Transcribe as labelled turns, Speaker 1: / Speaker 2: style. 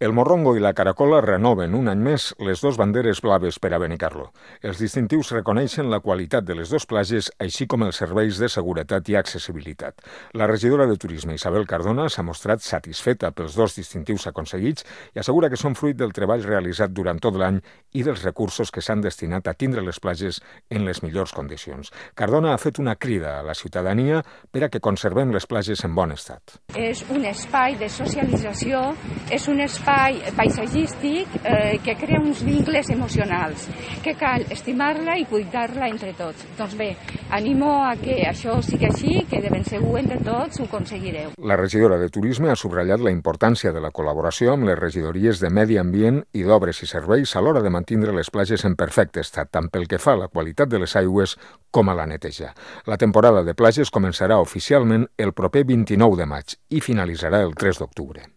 Speaker 1: El Morrongo i la Caracola renoven un any més les dues banderes blaves per a Benicarló. Els distintius reconeixen la qualitat de les dues platges, així com els serveis de seguretat i accessibilitat. La regidora de Turisme, Isabel Cardona, s'ha mostrat satisfeta pels dos distintius aconseguits i assegura que són fruit del treball realitzat durant tot l'any i dels recursos que s'han destinat a tindre les platges en les millors condicions. Cardona ha fet una crida a la ciutadania per a que conservem les platges en bon estat.
Speaker 2: És un espai de socialització, és un espai paisatgístic que crea uns vincles emocionals, que cal estimar-la i cuidar-la entre tots. Doncs bé, animo a que això sigui així, que de ben segur entre tots ho aconseguireu.
Speaker 1: La regidora de Turisme ha subratllat la importància de la col·laboració amb les regidories de Medi Ambient i d'Obres i Serveis a l'hora de mantindre les platges en perfecte estat, tant pel que fa a la qualitat de les aigües com a la neteja. La temporada de platges començarà oficialment el proper 29 de maig i finalitzarà el 3 d'octubre.